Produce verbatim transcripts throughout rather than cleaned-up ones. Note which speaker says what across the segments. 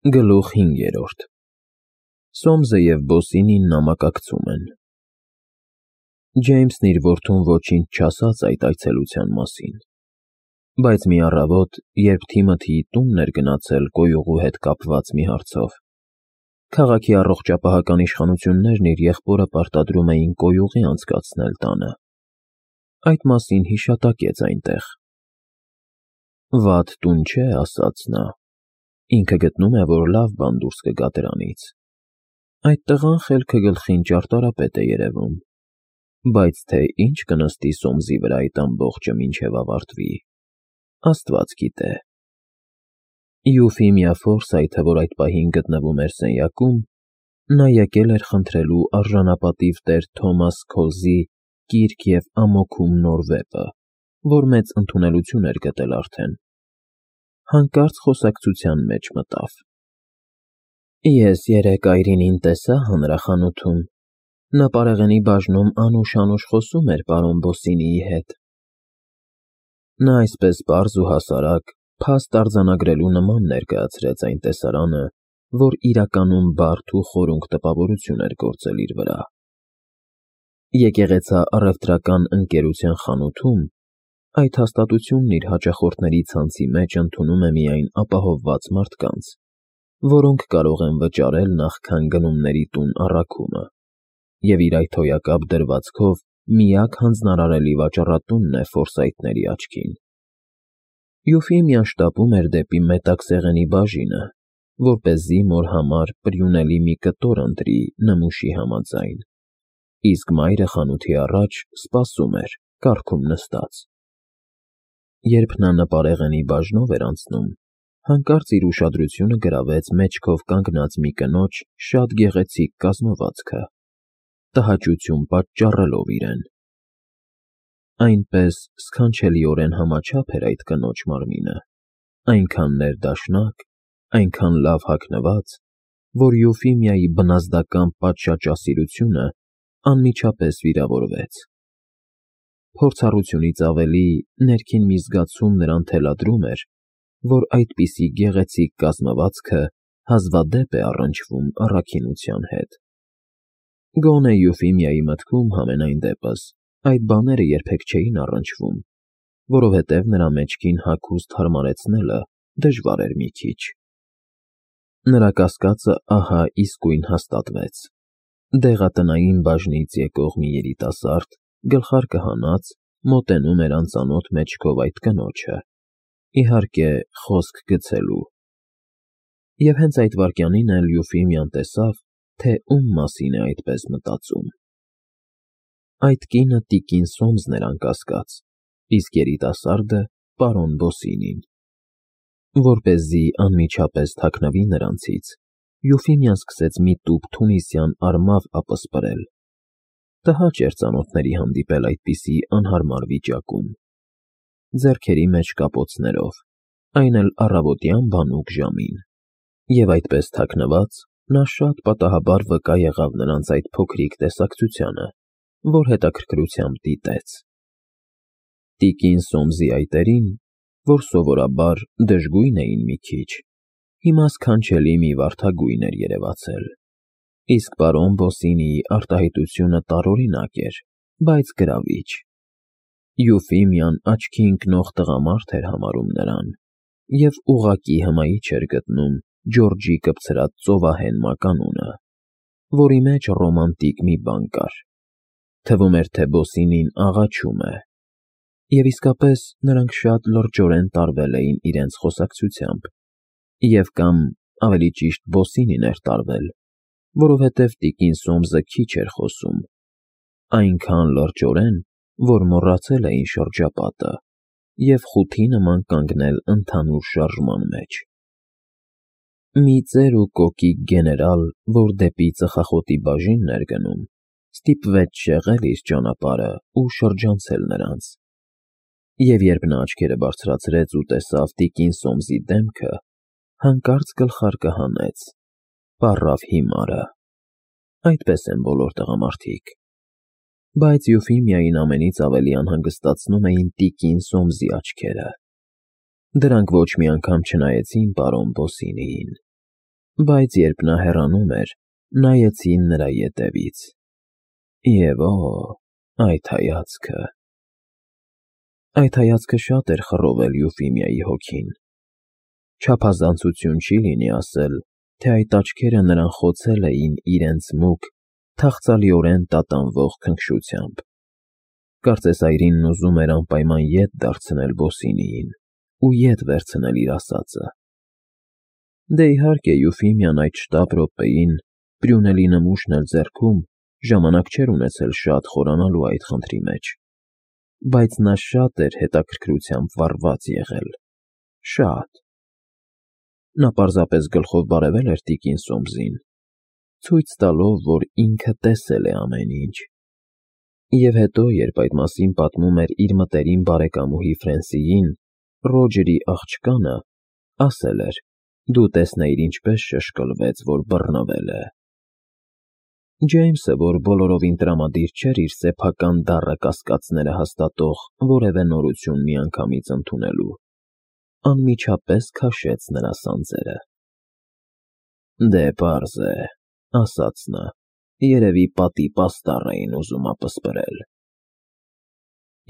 Speaker 1: Գլուխ հինգերորդ Սոմսը և Բոսինին նամակակցում են։ Ջեյմսն իր որդուն ոչինչ չասաց այդ այցելության մասին, բայց մի առավոտ, երբ Թիմոթիի տունն էր գնացել կոյուղու հետ կապված մի հարցով, քաղաքի առողջապահական իշխանություններն իր եղբորը պարտադրում էին կոյուղի անցկացնել տանը, այդ մասին հիշատակեց այնտեղ։ Վատ տուն չէ, ասաց նա, ինքը գտնում է, որ լավ բան դուրս կգա դրանից։ Այդ տղան խելքը գլխին ճարտարապետ է երևում, բայց թե ինչ կնստի Սոմսի վրա այդ ամբողջը մինչև ավարտվի, Աստված գիտե։ Յուֆիմիա Ֆորսայթը, որ այդ պահին գտնվում էր սենյակում, նա եկել էր խնդրելու արժանապատիվ տեր Թոմաս Քոլզի կիրք և ամոքում նոր վեպը, որ մեծ ընդունելություն էր գտել արդեն, հանկարծ խոսակցության մեջ մտավ. Ես երեկ Այրինին տեսա հանրախանութում, նա պարեղենի բաժնում անուշ-անուշ խոսում էր պարոն Բոսինիի հետ։ Նա այսպես պարզ ու հասարակ, փաստ արձանագրելու նման ներկայացրեց այն տեսարանը, որ իրականում բարդ ու խորունկ տպավորություն էր գործել իր վրա։ Եկեղեցի առևտրական ընկերության խանութում այդ հաստատությունն իր հաճախորդների ցանցի մեջ ընդունում է միայն ապահովված մարդկանց, որոնք կարող են վճարել նախքան գնումների տուն առաքումը, և իր այդ հոյակապ դրվածքով միակ հանձնարարելի վաճառատունն է Ֆորսայթների աչքին։ Յուֆիմիան շտապում էր դեպի մետաքսեղենի բաժինը, որպեսզի մոր համար պրյունելի մի կտոր ընտրի նմուշի համաձայն, իսկ մայրը խանութի առաջ սպասում էր, կառքում նստած։ Երբ նա նպարեղենի բաժնով էր անցնում, հանկարծ իր ուշադրությունը գրավեց մեջքով կանգնած մի կնոջ շատ գեղեցիկ կազմվածքը, տհաճություն պատճառելով իրեն։ Այնպես սքանչելիորեն համաչափ էր այդ կնոջ մարմինը, այնքան ներդաշնակ, այնքան լավ հագնված, որ Յուֆիմիայի բնազդական պատշաճասիրությունը անմիջապես վիրավորվեց։ Փորձառությունից ավելի ներքին մի զգացում նրան թելադրում էր, որ այդպիսի գեղեցիկ կազմվածքը հազվադեպ է առնչվում առաքինության հետ։ Գոնե Յուֆիմիայի մտքում համենայն դեպս այդ բաները երբեք չէին առնչվում, որովհետև նրա մեջքին հագուստ հարմարեցնելը դժվար էր մի քիչ։ Նրա կասկածը ահա իսկույն հաստատվեց։ Դեղատնային բաժնից եկող մի երիտասարդ, գլխարկը հանած, մոտենում էր անծանոթ մեջքով այդ կնոջը, իհարկե, խոսք գցելու։ Եվ հենց այդ վայրկյանին էլ Յուֆիմիան տեսավ, թե ում մասին է այդպես մտածում։ Այդ կինը տիկին Սոմսն էր անկասկած, իսկ երիտասարդը պարոն Բոսինին։ Որպեսզի անմիջապես թաքնվի նրանցից, Յուֆիմիան սկսեց մի տուփ թունիսյան արմավ ապսպրել։ Տհաճ էր ծանոթների հանդիպել այդպիսի անհարմար վիճակում, ձեռքերի մեջ կապոցներով, այն էլ առավոտյան բանուկ ժամին, և այդպես թաքնված նա շատ պատահաբար վկա եղավ նրանց այդ փոքրիկ տեսակցությանը, որ հետաքրքրությամբ դիտեց։ Տիկին Սոմսի այտերին, որ սովորաբար դժգույն էին մի քիչ, հիմա սքանչելի մի վարդագույն էր երևացել, իսկ պարոն Բոսինիի արտահայտությունը տարօրինակ էր, բայց գրավիչ։ Յուֆիմիան աչքի ընկնող տղամարդ էր համարում նրան և ուղղակի հմայիչ էր գտնում Ջորջի կպցրած ծովահեն մականունը, որի մեջ ռոմանտիկ մի բան կար։ Թվում էր, թե Բոսինին աղաչում է։ Եվ իսկապես նրանք շատ լրջորեն տարվել էին իրենց խոսակցությամբ, և կամ, ավելի ճիշտ, Բոսինին էր տարվել, որովհետև տիկին Սոմսը քիչ էր խոսում, այնքան լրջորեն, որ մոռացել էին շրջապատը և խութի նման կանգնել ընդհանուր շարժման մեջ։ Մի ծեր ու կոկիկ գեներալ, որ դեպի ծխախոտի բաժինն էր գնում, ստիպվեց շեղել իր ճանապարհը ու շրջանցել նրանց, և երբ նա աչքերը բարձրացրեց ու տեսավ տիկին Սոմսի դեմքը, հանկարծ գլխարկը հանեց, պառավ հիմարը։ Այդպես են բոլոր տղամարդիկ։ Բայց Յուֆիմիային ամենից ավելի անհանգստացնում էին տիկին Սոմսի աչքերը։ Դրանք ոչ մի անգամ չնայեցին պարոն Բոսինիին։ Բայց երբ նա հեռանում էր, նայեցին նրա ետևից։ Եվ օ, այդ հայացքը… Այդ հայացքը շատ էր խռովել Յուֆիմիայի հոգին։ Չափազանցություն չի լինի ասել, թե այդ աչքերը նրան խոցել էին իրենց մուգ, թախծալիորեն տատանվող քնքշությամբ։ Կարծես այրինն ուզում էր անպայման ետ դարձնել Բոսինիին ու ետ վերցնել իր ասածը։ Դե իհարկե, Յուֆիմիան այդ շտապ րոպեին, Պրյունելի նմուշն էլ ձեռքում, ժամանակ չէր ունեցել շատ խորանալու այդ խնդրի մեջ, բայց նա շատ էր հետաքրքրությամբ վառված եղել, շատ… Նա պարզապես գլխով բարևել էր տիկին Սոմսին, ցույց տալով, որ ինքը տեսել է ամեն ինչ, և հետո, երբ այդ մասին պատմում էր իր մտերիմ բարեկամուհի Ֆրենսիին, Ռոջերի աղջկանը, ասել էր. «Դու տեսնեիր ինչպես շշկլվեց, որ բռնվել է»։ Ջեյմսը, որ բոլորովին տրամադիր չէր իր սեփական դառը կասկածները հաստատող որևէ նորություն միանգամից ընդունելու, անմիջապես քաշեց նրա սանձերը։ «Դե պարզ է,֊ ասաց նա,֊ երևի պատի պաստառ էին ուզում ապսպրել»։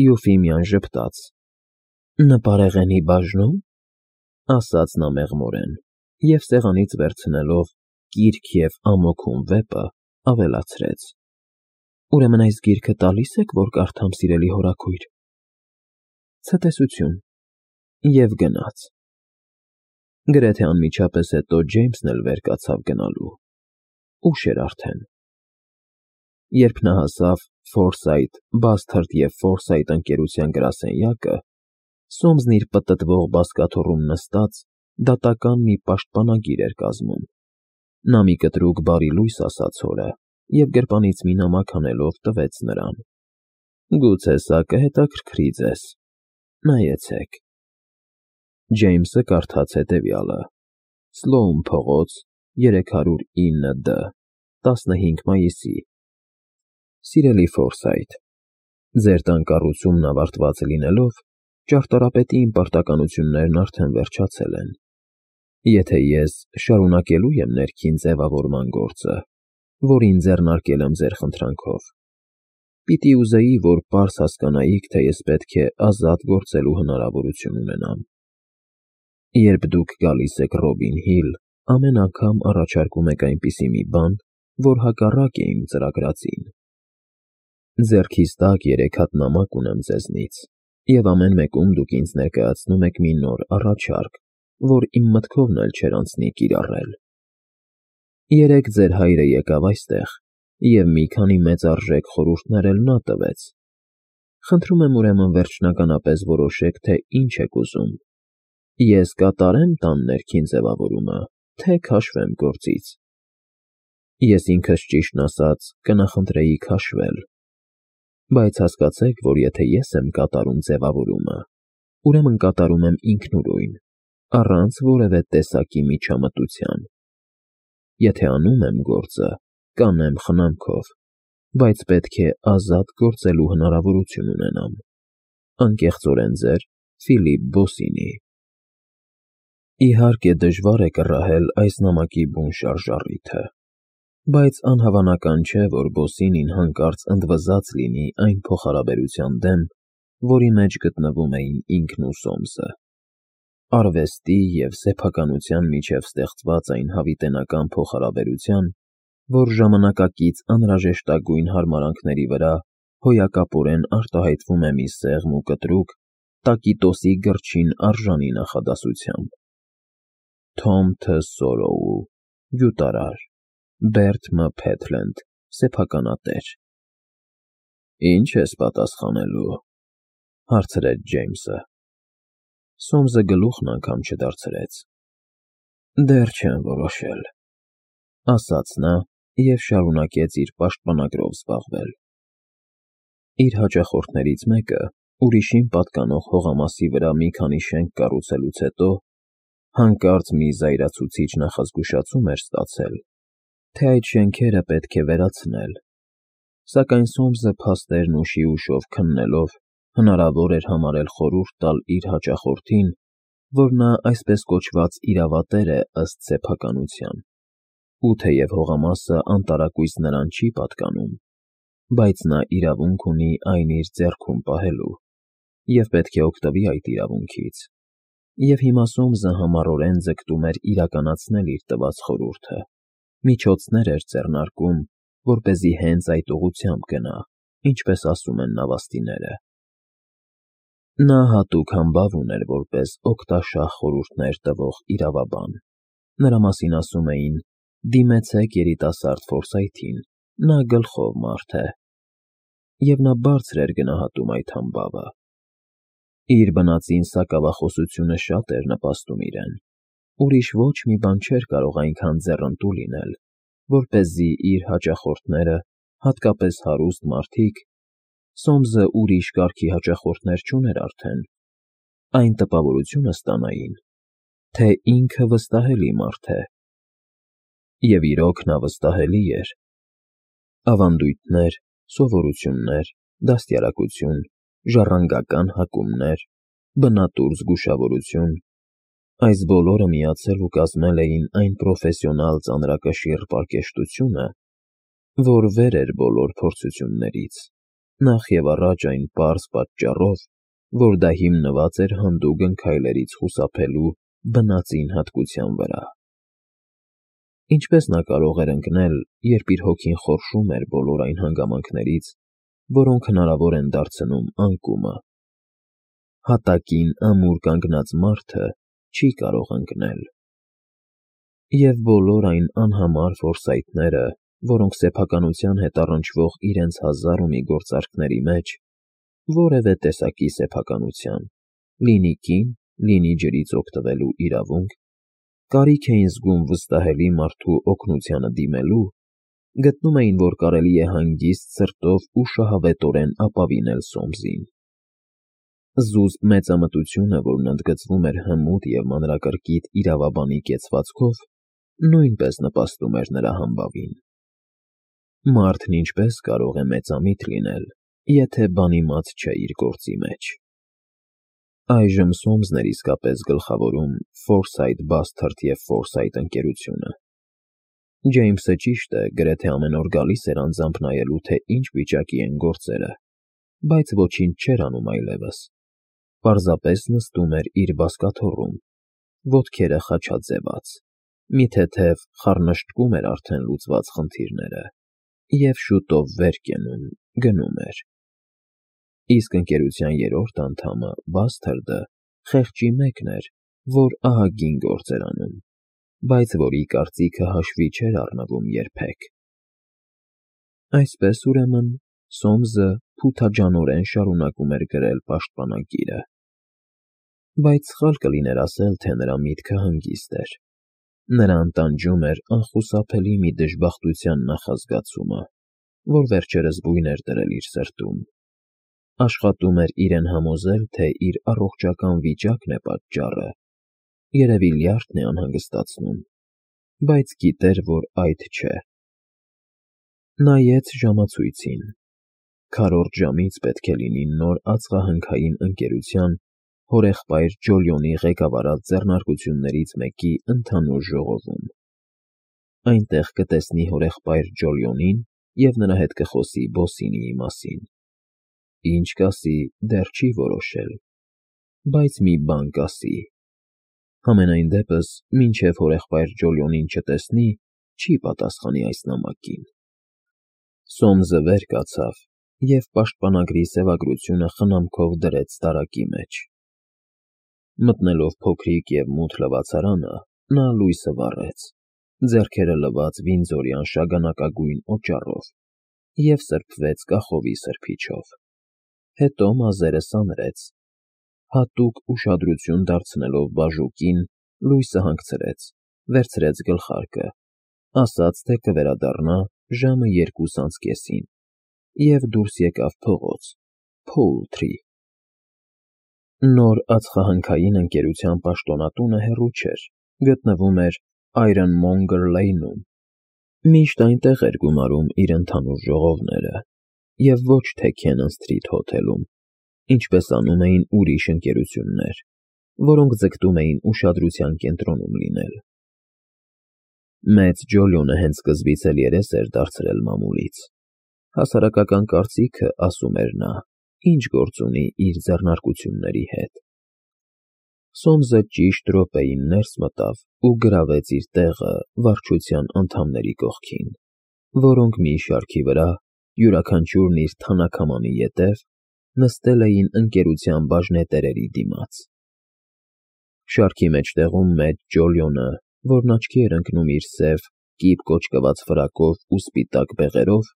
Speaker 1: Յուֆիմիան ժպտաց. «Նպարեղենի բաժնո՞ւմ,֊ ասաց նա մեղմորեն և սեղանից վերցնելով «Կիրք և ամոթում» վեպը, ավելացրեց. «Ուրեմն այս գիրքը տալի՞ս եք, որ կարդամ, սիրելի հորաքույր»։ Ցտեսություն, և գնաց։ Գրեթե անմիջապես հետո Ջեյմսն էլ վեր կացավ գնալու։ Ուշ էր արդեն։ Երբ նա հասավ Ֆորսայթ, Բասթարդ և Ֆորսայթ ընկերության գրասենյակը, Սոմսն իր պտտվող բազկաթոռում նստած, դատական մի պաշտպանագիր էր կազմում։ Նա մի կտրուկ բարի լույս ասաց հորը և գրպանից մի նամակ հանելով տվեց նրան։ «Գուցե սա կհետաքրքրի ձեզ, նայեցեք»։ Ջեյմսը կարդաց հետևյալը. «Սլոուն փողոց, երեք հարյուր ինը Դ, տասնհինգ մայիսի։ Սիրելի Ֆորսայթ, ձեր տան կառուցումն ավարտված լինելով, ճարտարապետի իմ պարտականություններն արդեն վերջացել են։ Եթե ես շարունակելու եմ ներքին ձևավորման գործը, որին ձեռնարկել եմ ձեր խնդրանքով, պիտի ուզեի, որ պարզ հասկանայիք, թե ես պետք է ազատ գործելու հնարավորություն ունենամ։ Երբ դուք գալիս եք Ռոբին Հիլ, ամեն անգամ առաջարկում եք այնպիսի մի բան, որ հակառակ է իմ ծրագրածին։ Ձեռքիս տակ երեք հատ նամակ ունեմ ձեզնից, և ամեն մեկում դուք ինձ ներկայացնում եք մի նոր առաջարկ, որ իմ մտքովն էլ չէր անցնի կիրառել։ Երեկ ձեր հայրը եկավ այստեղ և մի քանի մեծարժեք խորհուրդներ էլ նա տվեց։ Խնդրում եմ ուրեմն վերջնականապես որոշեք, թե ինչ եք ուզում. ես կատարե՞մ տան ներքին ձևավորումը, թե քաշվեմ գործից։ Ես ինքս, ճիշտն ասած, կնախընտրեի քաշվել։ Բայց հասկացեք, որ եթե ես եմ կատարում ձևավորումը, ուրեմն կատարում եմ ինքնուրույն, առանց որևէ տեսակի միջամտության։ Եթե անում եմ գործը, կանեմ խնամքով, բայց պետք է ազատ գործելու հնարավորություն ունենամ։ Անկեղծորեն ձեր Ֆիլիպ Բոսինի։ Իհարկե, դժվար է կռահել այս նամակի բուն շարժառիթը, բայց անհավանական չէ, որ Բոսինին հանկարծ ընդվզած լինի այն փոխհարաբերության դեմ, որի մեջ գտնվում էին ինքն ու Սոմսը։ Արվեստի և սեփականության միջև ստեղծված այն հավիտենական փոխհարաբերության, որ ժամանակակից անհրաժեշտագույն հարմարանքների վրա հոյակապորեն արտահայտվում է մի սեղմ ու կտրուկ, տակիտոսի գրչին արժանի նախադասությամբ։ Թոմ Թ. Սորոու, գյուտարար, Բերտ Մ. Փեթլենդ, սեփականատեր։ Ի՞նչ ես պատասխանելու,֊ հարցրեց Ջեյմսը։ Սոմսը գլուխն անգամ չդարձրեց։ Դեռ չեմ որոշել,֊ ասաց նա և շարունակեց իր պաշտպանագրով զբաղվել։ Իր հաճախորդներից մեկը, ուրիշին պատկանող հողամասի վրա մի քանի շենք կառուցելուց հետո, հանկարծ մի զայրացուցիչ նախազգուշացում էր ստացել, թե այդ շենքերը պետք է վերացնել, սակայն Սոմսը փաստերն ուշի ուշով քննելով, հնարավոր էր համարել խորհուրդ տալ իր հաճախորդին, որ նա այսպես կոչված իրավատեր է ըստ սեփականության, ու թեև հողամասը անտարակույս նրան չի պատկանում, բայց նա իրավունք ունի այն իր ձեռքում պահելու և պետք է օգտվի այդ իրավունքից, և հիմա Սոմսը համառորեն ձգտում էր իրականացնել իր տված խորհուրդը, միջոցներ էր ձեռնարկում, որպեսզի հենց այդ ուղղությամբ գնա, ինչպես ասում են նավաստիները։ Նա հատուկ համբավ ուներ որպես օգտաշահ խորհուրդներ տվող իրավաբան, նրա մասին ասում էին. «Դիմեցեք երիտասարդ Ֆորսայթին, նա գլխով մարդ է», և նա բարձր էր գնահատում այդ համբավը։ Իր բնածին սակավախոսությունը շատ էր նպաստում իրեն, ուրիշ ոչ մի բան չէր կարող այնքան ձեռնտու լինել, որպեսզի իր հաճախորդները, հատկապես հարուստ մարդիկ, Սոմսը ուրիշ կարգի հաճախորդներ չուներ արդեն, այն տպավորությունը ստանային, թե ինքը վստահելի մարդ է։ Եվ իրոք նա վստահելի էր։ Ավանդույթներ, սովորություններ, դաստիարակություն, ժառանգական հակումներ, բնատուր զգուշավորություն, այս բոլորը միացել ու կազմել էին այն պրոֆեսիոնալ ծանրակշիռ պարկեշտությունը, որ վեր էր բոլոր փորձություններից, նախ և առաջ այն պարզ պատճառով, որ դա հիմնված էր հանդուգն քայլերից խուսափելու բնածին հատկության վրա։ Ինչպես նա կարող էր ընկնել, երբ իր հոգին խորշում էր բոլոր այն հանգամանքներից, որոնք հնարավոր են դարձնում անկումը։ Հատակին ամուր կանգնած մարդը չի կարող ընկնել։ Եվ բոլոր այն անհամար ֆորսայթները, որոնք սեփականության հետ առնչվող իրենց հազար ու մի գործարքների մեջ, որևէ տեսակի սեփականության, լինի կին, լինի ջրից օգտվելու իրավունք, կարիք էին զգում վստահելի մարդու օգնությանը դիմելու, գտնում էին, որ կարելի է հանգիստ սրտով ու շահավետորեն ապավինել Սոմսին։ Զուսպ մեծամտությունը, որն ընդգծվում էր հմուտ և մանրակրկիտ իրավաբանի կեցվածքով, նույնպես նպաստում էր նրա համբավին։ Մարդն ինչպես կարող է մեծամիտ լինել, եթե բանիմաց չէ իր գործի մեջ։ Այժմ Սոմսն էր իսկապես գլխավորում Ֆորսայթ Բասթարդ և Ֆորսայթ ընկերությունը։ Ջեյմսը, ճիշտ է, գրեթե ամեն օր գալիս էր անձամբ նայելու, թե ինչ վիճակի են գործերը, բայց ոչինչ չէր անում այլևս, պարզապես նստում էր իր բազկաթոռում, ոտքերը խաչաձևած, մի թեթև խառնշտկում էր արդեն լուծված խնդիրները և շուտով վեր կենում, գնում էր։ Իսկ ընկերության երրորդ անդամը՝ Բասթարդը, խեղճի մեկն էր, որ ահագին գործ էր անում, բայց որի կարծիքը հաշվի չէր առնվում երբեք։ Այսպես, ուրեմն, Սոմսը փութաջանորեն շարունակում էր գրել պաշտպանագիրը։ Բայց սխալ կլիներ ասել, թե նրա միտքը հանգիստ էր։ Նրան տանջում էր անխուսափելի մի դժբախտության նախազգացումը, որ վերջերս բույն էր դրել իր սրտում։ Աշխատում էր իրեն համոզել, թե իր առողջական վիճակն է պատճառը, երևի լյարդն է անհանգստացնում, բայց գիտեր, որ այդ չէ։ Նայեց ժամացույցին. քառորդ ժամից պետք է լինի նոր ածխահնքային ընկերության հորեղբայր Ջոլիոնի ղեկավարած ձեռնարկություններից մեկի ընդհանուր ժողովում։ Այնտեղ կտեսնի հորեղբայր Ջոլիոնին և նրա հետ կխոսի Բոսինիի մասին։ Ինչ կասի, դեռ չի որոշել, բայց մի բան կասի։ Համենայն դեպս, մինչև հորեղբայր Ջոլիոնին չտեսնի, չի պատասխանի այս նամակին։ Սոմսը վեր կացավ և պաշտպանագրի սևագրությունը խնամքով դրեց տարակի մեջ։ Մտնելով փոքրիկ և մութ լվացարանը, նա լույսը վառեց, ձեռքերը լված վինձորյան շագանակագույն օճառով, և սրբվեց կախովի սրբիչով։ Հետո մազերը սանրեց, հատուկ ուշադրություն դարձնելով բաժուկին, լույսը հանգցրեց, վերցրեց գլխարկը, ասաց, թե կվերադառնա ժամը երկուս անց կեսին և դուրս եկավ փողոց, Փոուլթրի։ Նոր ածխահնքային ընկերության պաշտոնատունը հեռու չէր, գտնվում էր Ironmonger Lane-ում։ Միշտ այնտեղ էր գումարում իր ընդհանուր ժողովները, և ոչ թե Cannon Street հոթելում, ինչպես անում էին ուրիշ ընկերություններ, որոնք ձգտում էին ուշադրության կենտրոնում լինել։ Մեծ Ջոլիոնը հենց սկզբից էլ երես էր դարձրել մամուլից։ Հասարակական կարծիքը, ասում էր նա, ինչ գործ ունի իր ձեռնարկությունների հետ։ Սոմսը ճիշտ րոպեին ներս մտավ ու գրավեց իր տեղը վարչության անդամների կողքին, որոնք մի շարքի վրա, յուրաքանչյուրն իր թանաքամանի ետև, նստել էին ընկերության բաժնետերերի դիմաց։ Շարքի մեջտեղում մեծ Ջոլիոնը, որն աչքի էր ընկնում իր սև, կիպ կոճկված ֆրակով ու սպիտակ բեղերով,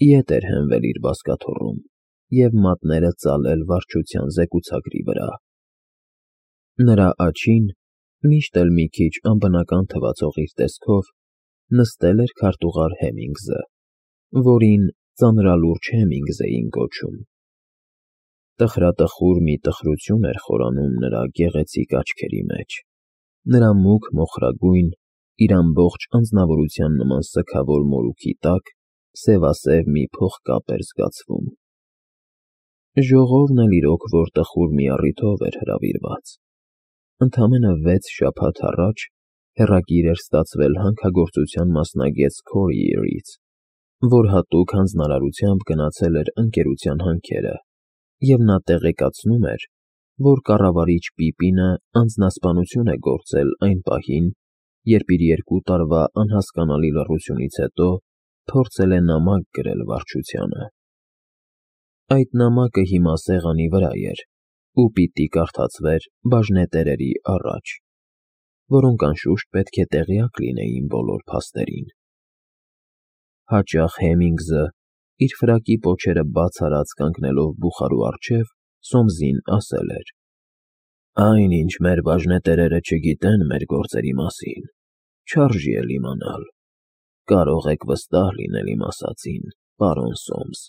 Speaker 1: ետ էր հենվել իր բազկաթոռում և մատները ծալել վարչության զեկուցագրի վրա։ Նրա աջին, միշտ էլ մի քիչ անբնական թվացող իր տեսքով, նստել էր քարտուղար Հեմինգսը, որին ծանրալուրջ Հեմինգս էին կոչում։ Տխրատխուր մի տխրություն էր խորանում նրա գեղեցիկ աչքերի մեջ, նրա մուգ մոխրագույն, իր ամբողջ անձնավորության նման սգավոր մորուքի տակ սևասև մի փողկապ էր զգացվում։ Ժողովն էլ իրոք որ տխուր մի առիթով էր հրավիրված։ Ընդամենը վեց շաբաթ առաջ հեռագիր էր ստացվել հանքագործության մասնագետ Քորիերից, որ հատուկ հանձնարարությամբ գնացել էր ընկերության հանքերը, և նա տեղեկացնում էր, որ կառավարիչ Պիպինը անձնասպանություն է գործել այն պահին, երբ իր երկու տարվա անհասկանալի լռությունից հետո փորձել է նամակ գրել վարչությանը։ Այդ նամակը հիմա սեղանի վրա էր ու պիտի կարդացվեր բաժնետերերի առաջ, որոնք անշուշտ պետք է տեղյակ լինեին բոլոր փաստերին։ Հաճախ Հեմինգսը, իր ֆրակի պոչերը բաց արած կանգնելով բուխարու առջև, Սոմսին ասել էր. «Այն, ինչ մեր բաժնետերերը չգիտեն մեր գործերի մասին, չարժի էլ իմանալ։ Կարող եք վստահ լինել իմ ասածին, պարոն Սոմս»։